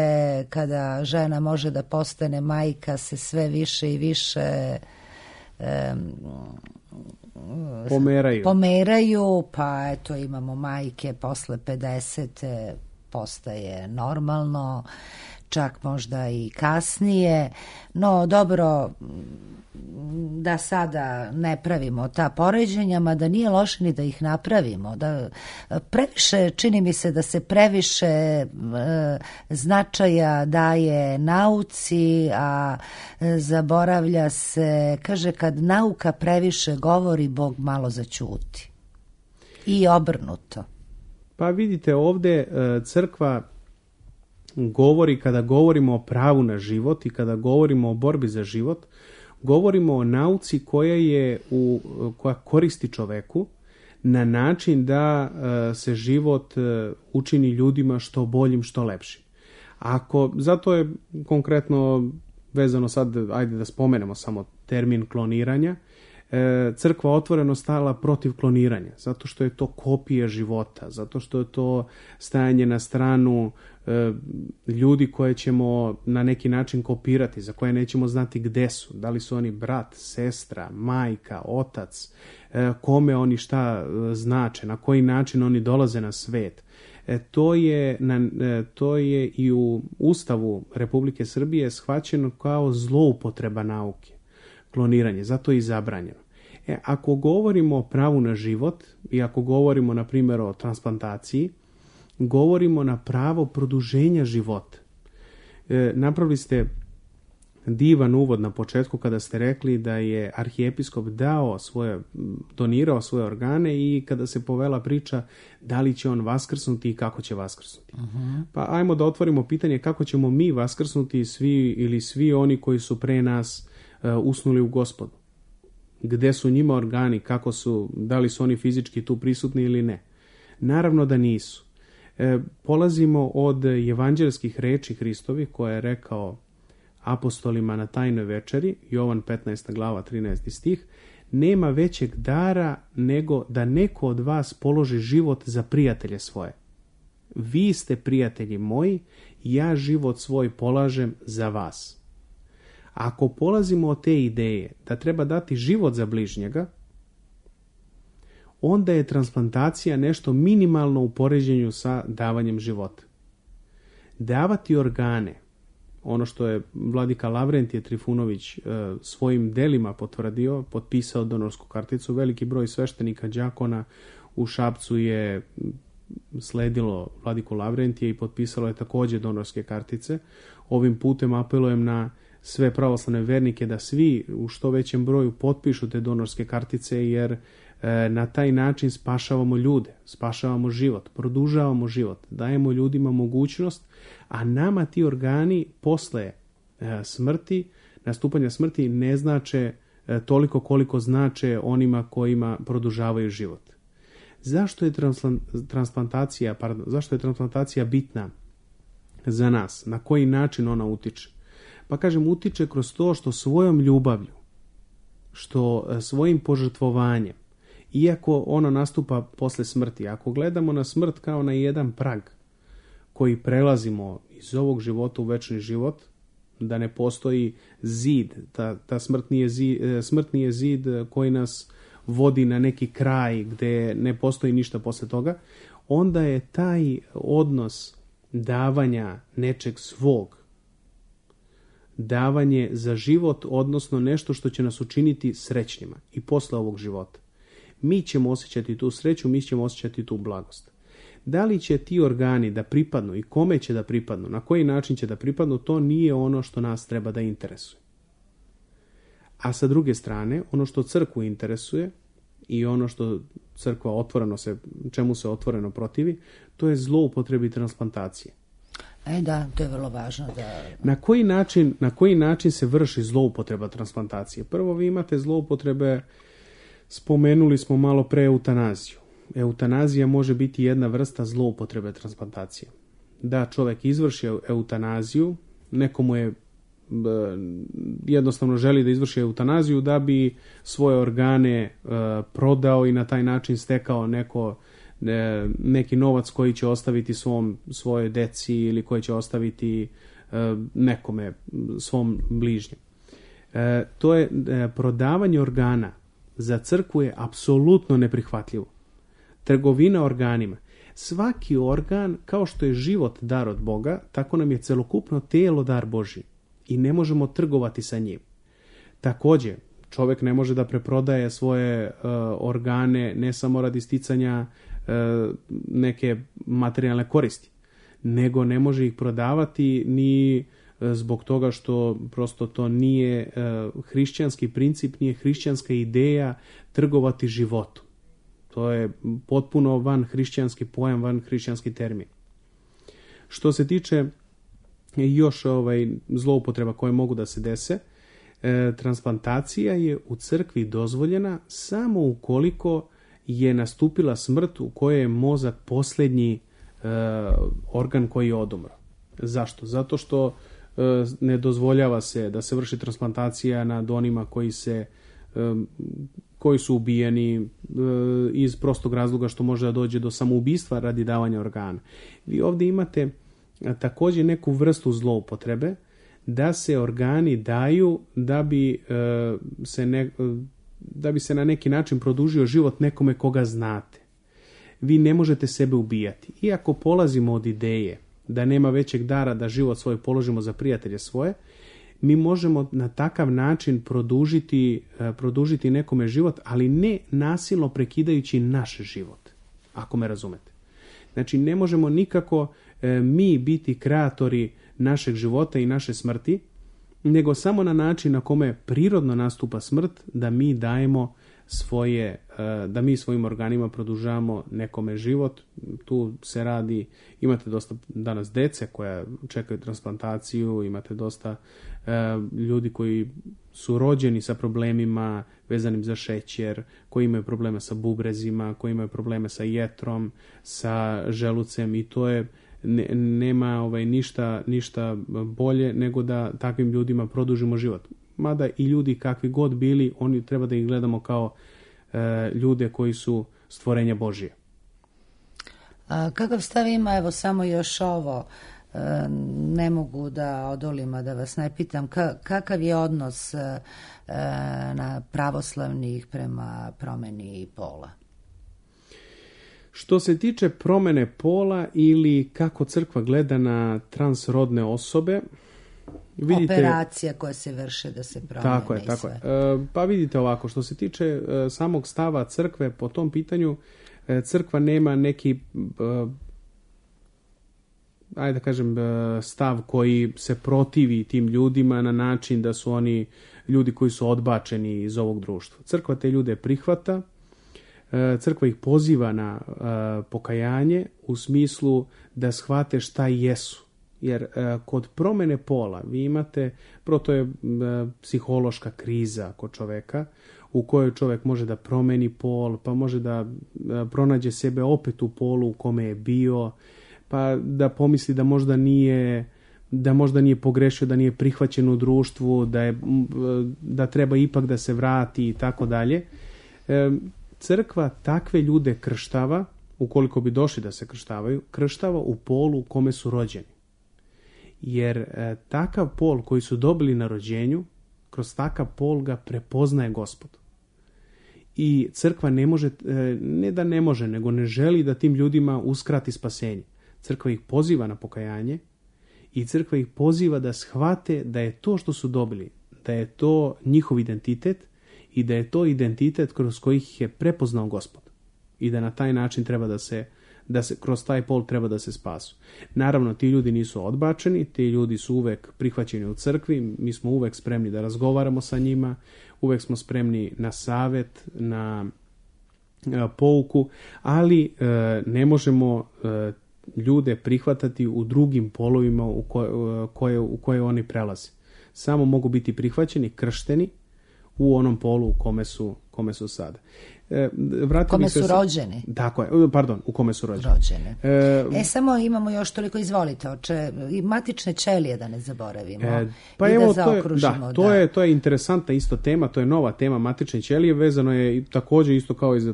kada žena može da postane majka se sve više i više pomeraju. pomeraju, pa eto imamo majke posle pedesete, postaje normalno, čak možda i kasnije, no dobro, da sada ne pravimo ta poređenja, mada nije loše ni da ih napravimo. Da, previše, čini mi se da se previše e, značaja daje nauci, a e, zaboravlja se, kaže, kad nauka previše govori, Bog malo zaćuti. I obrnuto. Pa vidite, ovde e, crkva govori, kada govorimo o pravu na život i kada govorimo o borbi za život, govorimo o nauci koja je u, koja koristi čoveku na način da uh, se život uh, učini ljudima što boljim, što lepšim. Ako, zato je konkretno vezano sad, ajde da spomenemo samo termin kloniranja, crkva otvoreno stala protiv kloniranja, zato što je to kopija života, zato što je to stajanje na stranu e, ljudi koje ćemo na neki način kopirati, za koje nećemo znati gde su, da li su oni brat, sestra, majka, otac, e, kome oni šta znače, na koji način oni dolaze na svet. E, to, je, na, e, to je i u Ustavu Republike Srbije shvaćeno kao zloupotreba nauke, kloniranje, zato je i zabranjeno. E, ako govorimo o pravu na život i ako govorimo, na primjer, o transplantaciji, govorimo na pravo produženja života. E, napravili ste divan uvod na početku kada ste rekli da je arhijepiskop dao svoje, donirao svoje organe i kada se povela priča da li će on vaskrsnuti i kako će vaskrsnuti. Uh-huh. Pa ajmo da otvorimo pitanje kako ćemo mi vaskrsnuti svi ili svi oni koji su pre nas uh, usnuli u Gospodu. Gde su njima organi, kako su, da li su oni fizički tu prisutni ili ne. Naravno da nisu. E, polazimo od evanđelskih reči Hristovi koje je rekao apostolima na tajnoj večeri, Jovan petnaesta glava trinaesti stih, nema većeg dara nego da neko od vas položi život za prijatelje svoje. Vi ste prijatelji moji, ja život svoj polažem za vas. Ako polazimo od te ideje da treba dati život za bližnjega, onda je transplantacija nešto minimalno u poređenju sa davanjem života. Davati organe, ono što je vladika Lavrentije Trifunović svojim delima potvrdio, potpisao donorsku karticu. Veliki broj sveštenika, đakona u Šapcu je sledilo vladiku Lavrentije i potpisalo je također donorske kartice. Ovim putem apelujem na sve pravoslavne vernike da svi u što većem broju potpišu te donorske kartice, jer na taj način spašavamo ljude, spašavamo život, produžavamo život, dajemo ljudima mogućnost, a nama ti organi posle smrti, nastupanja smrti ne znače toliko koliko znače onima kojima produžavaju život. Zašto je transplantacija, pardon, zašto je transplantacija bitna za nas? Na koji način ona utiče? Pa kažem, utiče kroz to što svojom ljubavlju, što svojim požrtvovanjem, iako ono nastupa posle smrti, ako gledamo na smrt kao na jedan prag koji prelazimo iz ovog života u večni život, da ne postoji zid, ta, ta smrt, nije zid, smrt nije zid koji nas vodi na neki kraj gdje ne postoji ništa posle toga, onda je taj odnos davanja nečeg svog, davanje za život, odnosno nešto što će nas učiniti srećnima i posle ovog života. Mi ćemo osjećati tu sreću, mi ćemo osjećati tu blagost. Da li će ti organi da pripadnu i kome će da pripadnu, na koji način će da pripadnu, to nije ono što nas treba da interesuje. A sa druge strane, ono što crkvu interesuje i ono što crkva otvoreno se, čemu se otvoreno protivi, to je zloupotrebi transplantacije. E da, to je vrlo važno. Da... Na koji način, na koji način se vrši zloupotreba transplantacije? Prvo, vi imate zloupotrebe, spomenuli smo malo pre eutanaziju. Eutanazija može biti jedna vrsta zloupotrebe transplantacije. Da čovjek izvrši eutanaziju, nekomu je jednostavno želi da izvrši eutanaziju da bi svoje organe e, prodao i na taj način stekao neko, e, neki novac koji će ostaviti svom, svojoj deci ili koji će ostaviti e, nekome, svom bližnjem. E, to je e, prodavanje organa za crkvu je apsolutno neprihvatljivo. Trgovina organima. Svaki organ, kao što je život dar od Boga, tako nam je celokupno telo dar Božji. I ne možemo trgovati sa njim. Također, čovjek ne može da preprodaje svoje uh, organe ne samo radi sticanja uh, neke materijalne koristi, nego ne može ih prodavati ni uh, zbog toga što prosto to nije uh, hrišćanski princip, nije hrišćanska ideja trgovati životom. To je potpuno van hrišćanski pojam, van hrišćanski termin. Što se tiče još ovaj, zloupotreba koje mogu da se dese, e, transplantacija je u crkvi dozvoljena samo ukoliko je nastupila smrt u kojoj je mozak posljednji e, organ koji je odumro. Zašto? Zato što e, ne dozvoljava se da se vrši transplantacija nad onima koji se e, koji su ubijeni e, iz prostog razloga što može da dođe do samoubistva radi davanja organa. Vi ovdje imate također neku vrstu zloupotrebe da se organi daju da bi, e, se ne, da bi se na neki način produžio život nekome koga znate. Vi ne možete sebe ubijati. Iako polazimo od ideje da nema većeg dara da život svoj položimo za prijatelje svoje, mi možemo na takav način produžiti, e, produžiti nekome život, ali ne nasilno prekidajući naš život, ako me razumete. Znači, ne možemo nikako e, mi biti kreatori našeg života i naše smrti, nego samo na način na kome prirodno nastupa smrt, da mi dajemo svoje, e, da mi svojim organima produžavamo nekome život. Tu se radi, imate dosta danas dece koja čekaju transplantaciju, imate dosta e, ljudi koji su rođeni sa problemima vezanim za šećer, koji imaju probleme sa bubrezima, koji imaju probleme sa jetrom, sa želucem i to je ne, nema ovaj, ništa, ništa bolje nego da takvim ljudima produžimo život. Mada i ljudi kakvi god bili, oni treba da ih gledamo kao e, ljude koji su stvorenja Božije. A kakav stav ima, evo samo još ovo, e, ne mogu da odolim, a da vas ne pitam, ka, kakav je odnos e, na pravoslavnih prema promeni pola? Što se tiče promene pola ili kako crkva gleda na transrodne osobe, vidite, operacija koja se vrše da se promene. Tako je, tako je. Pa vidite ovako, što se tiče samog stava crkve po tom pitanju, crkva nema neki, ajde da kažem, stav koji se protivi tim ljudima na način da su oni ljudi koji su odbačeni iz ovog društva. Crkva te ljude prihvata, crkva ih poziva na pokajanje u smislu da shvate šta jesu. Jer kod promjene pola vi imate, prvo to je psihološka kriza kod čoveka, u kojoj čovjek može da promeni pol, pa može da pronađe sebe opet u polu u kome je bio, pa da pomisli da možda nije, da možda nije pogrešio, da nije prihvaćen u društvu, da, je, da treba ipak da se vrati i tako dalje. Crkva takve ljude krštava, ukoliko bi došli da se krštavaju, krštava u polu u kome su rođeni. Jer e, takav pol koji su dobili na rođenju, kroz takav pol ga prepoznaje Gospod. I crkva ne može, e, ne da ne može, nego ne želi da tim ljudima uskrati spasenje. Crkva ih poziva na pokajanje i crkva ih poziva da shvate da je to što su dobili, da je to njihov identitet i da je to identitet kroz koji ih je prepoznao Gospod. I da na taj način treba da se da se kroz taj pol treba da se spasu. Naravno, ti ljudi nisu odbačeni, ti ljudi su uvek prihvaćeni u crkvi, mi smo uvek spremni da razgovaramo sa njima, uvek smo spremni na savet, na pouku, ali e, ne možemo e, ljude prihvatati u drugim polovima u koje, koje, u koje oni prelaze. Samo mogu biti prihvaćeni, kršteni u onom polu u kome su, kome su sada. E, kome su se... rođeni. Tako je, pardon, u kome su rođeni. rođeni. E, e, samo imamo još toliko, izvolite, oče, i matične ćelije da ne zaboravimo. E, pa i evo, da zaokružimo. To je, da, to, da. Je, to je interesantna isto tema, to je nova tema matične ćelije, vezano je također isto kao i, za,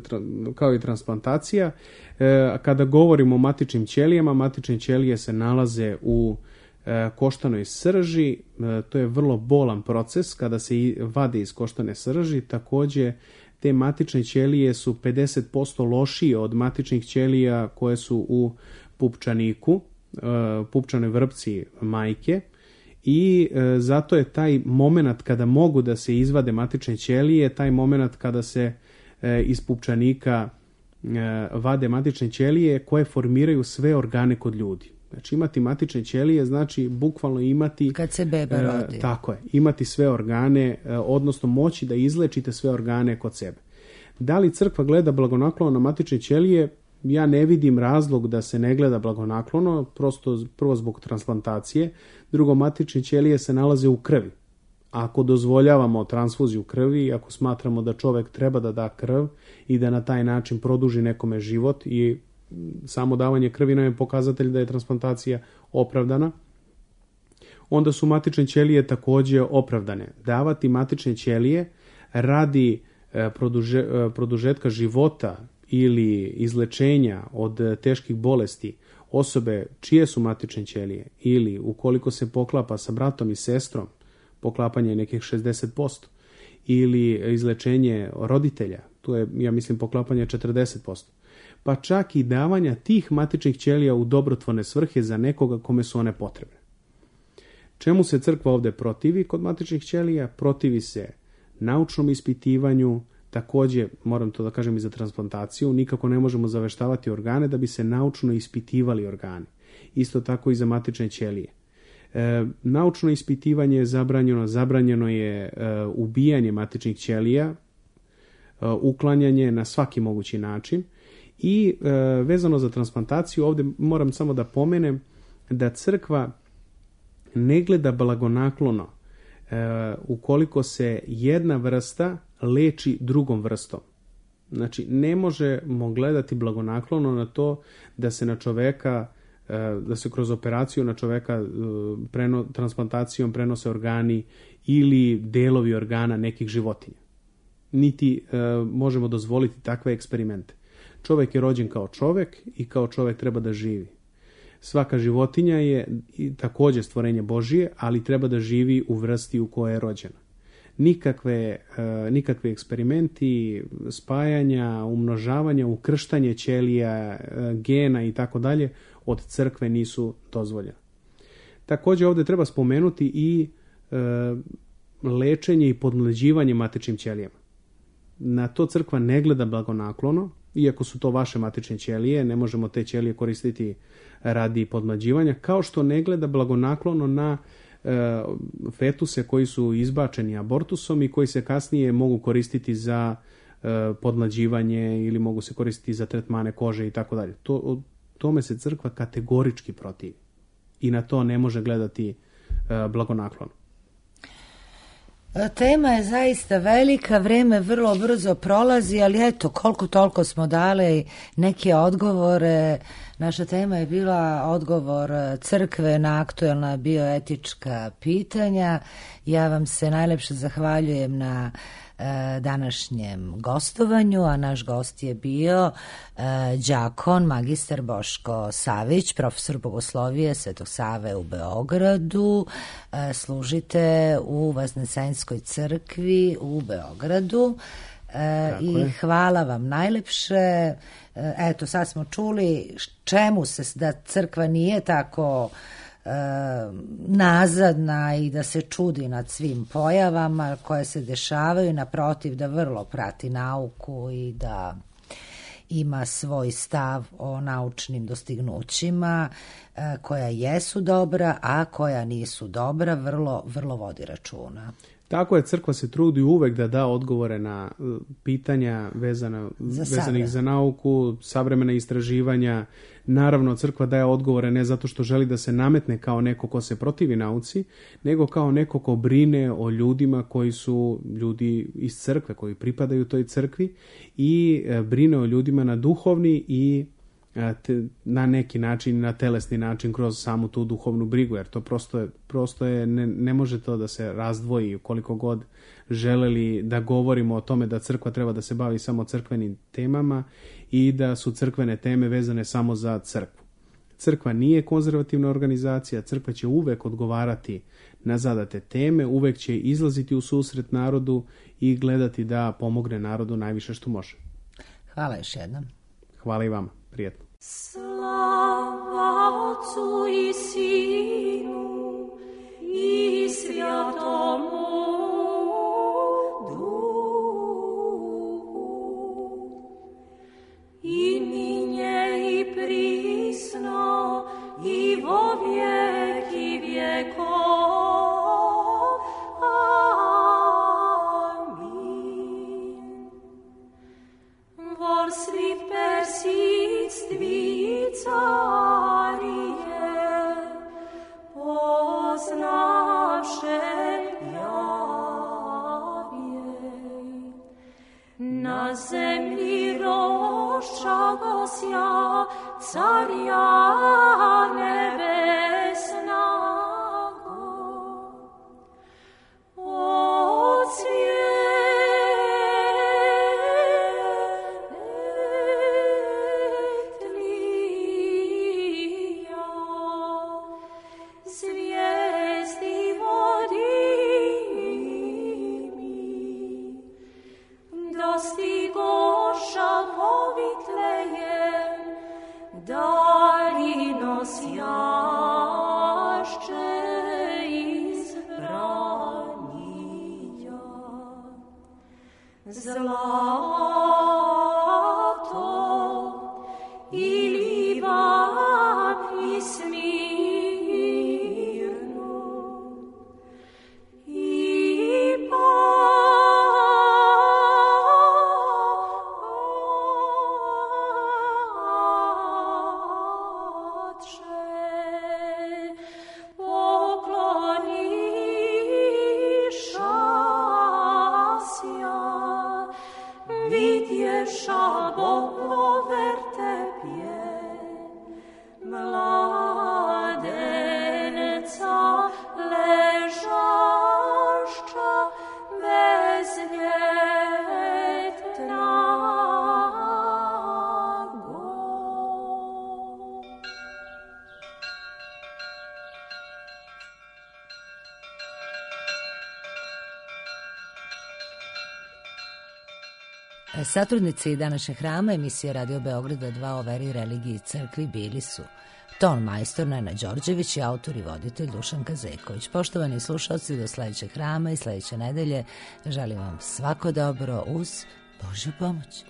kao i transplantacija. E, kada govorimo o matičnim ćelijama, matične ćelije se nalaze u e, koštanoj srži, e, to je vrlo bolan proces kada se vade iz koštane srži, također te matične ćelije su pedeset posto lošije od matičnih ćelija koje su u pupčaniku, pupčanoj vrpci majke i zato je taj moment kada mogu da se izvade matične ćelije, taj moment kada se iz pupčanika vade matične ćelije koje formiraju sve organe kod ljudi. Znači imati matične ćelije znači bukvalno imati... Kad se beba rodi. E, tako je, imati sve organe, e, odnosno moći da izlečite sve organe kod sebe. Da li crkva gleda blagonaklono na matične ćelije? Ja ne vidim razlog da se ne gleda blagonaklono, prosto prvo zbog transplantacije, drugo matične ćelije se nalaze u krvi. Ako dozvoljavamo transfuziju krvi, ako smatramo da čovjek treba da da krv i da na taj način produži nekome život i samo davanje krvi nam je pokazatelj da je transplantacija opravdana, onda su matične ćelije također opravdane. Davati matične ćelije radi produže, produžetka života ili izlečenja od teških bolesti osobe čije su matične ćelije ili ukoliko se poklapa sa bratom i sestrom, poklapanje je nekih šezdeset posto, ili izlečenje roditelja, tu je, ja mislim, poklapanje četrdeset posto. Pa čak i davanja tih matičnih ćelija u dobrotvorne svrhe za nekoga kome su one potrebne. Čemu se crkva ovdje protivi kod matičnih ćelija? Protivi se naučnom ispitivanju, također, moram to da kažem i za transplantaciju, nikako ne možemo zaveštavati organe da bi se naučno ispitivali organi. Isto tako i za matične ćelije. E, naučno ispitivanje je zabranjeno, zabranjeno je e, ubijanje matičnih ćelija, e, uklanjanje na svaki mogući način. I e, vezano za transplantaciju, ovdje moram samo da pomenem da crkva ne gleda blagonaklono e, ukoliko se jedna vrsta leči drugom vrstom. Znači, ne možemo gledati blagonaklono na to da se na čoveka, e, da se kroz operaciju na čoveka e, preno, transplantacijom prenose organi ili delovi organa nekih životinja. Niti e, možemo dozvoliti takve eksperimente. Čovjek je rođen kao čovjek i kao čovjek treba da živi. Svaka životinja je također stvorenje Božije, ali treba da živi u vrsti u kojoj je rođena. Nikakve, nikakve eksperimenti, spajanja, umnožavanja, ukrštanje ćelija, gena i tako dalje od crkve nisu dozvoljene. Također ovdje treba spomenuti i e, lečenje i podmlađivanje matičnim ćelijama. Na to crkva ne gleda blagonaklono, iako su to vaše matične ćelije, ne možemo te ćelije koristiti radi podmlađivanja, kao što ne gleda blagonaklono na e, fetuse koji su izbačeni abortusom i koji se kasnije mogu koristiti za e, podmlađivanje ili mogu se koristiti za tretmane kože i tako dalje. To, tome se crkva kategorički protivi i na to ne može gledati e, blagonaklono. Tema je zaista velika, vreme vrlo brzo prolazi, ali eto, koliko toliko smo dali neke odgovore. Naša tema je bila odgovor crkve na aktuelna bioetička pitanja. Ja vam se najlepše zahvaljujem na današnjem gostovanju, a naš gost je bio đakon magistar Boško Savić, profesor bogoslovije Svetog Save u Beogradu. Služite u Vaznesenskoj crkvi u Beogradu. Tako I je. Hvala vam najlepše. Eto, sad smo čuli čemu se da crkva nije tako nazadna i da se čudi nad svim pojavama koje se dešavaju, naprotiv da vrlo prati nauku i da ima svoj stav o naučnim dostignućima koja jesu dobra, a koja nisu dobra, vrlo, vrlo vodi računa. Tako je, crkva se trudi uvek da da odgovore na pitanja vezana, za vezanih za nauku, savremena istraživanja. Naravno, crkva daje odgovore ne zato što želi da se nametne kao neko ko se protivi nauci, nego kao neko ko brine o ljudima koji su ljudi iz crkve, koji pripadaju toj crkvi i brine o ljudima na duhovni i te, na neki način, na telesni način kroz samu tu duhovnu brigu, jer to prosto je, prosto je ne, ne može to da se razdvoji koliko god želeli da govorimo o tome da crkva treba da se bavi samo crkvenim temama i da su crkvene teme vezane samo za crkvu. Crkva nije konzervativna organizacija, crkva će uvek odgovarati na zadate teme, uvek će izlaziti u susret narodu i gledati da pomogne narodu najviše što može. Hvala još jednom. Hvala i vama. Prijetno. Slava Otcu i Sinu i Svjatomu Duhu, i ninje i prisno i vo vijeki vjekov. Amin. Vor svi persistvi carije, poznavše javije. Na zemlji roščagosja carja nebesnago. Od zlato i livan i smirno i pače pokloniša vidješa Bogo vertepje mladenca ležašća bez ljetnago. Satrudnici današnjeg hrama emisije Radio Beograda dva o veri, religiji i crkvi bili su Ton majstor Nena Đorđević i autor i voditelj Dušan Kazeković. Poštovani slušalci, do sledećeg hrama i sledeće nedelje želim vam svako dobro uz Božju pomoć.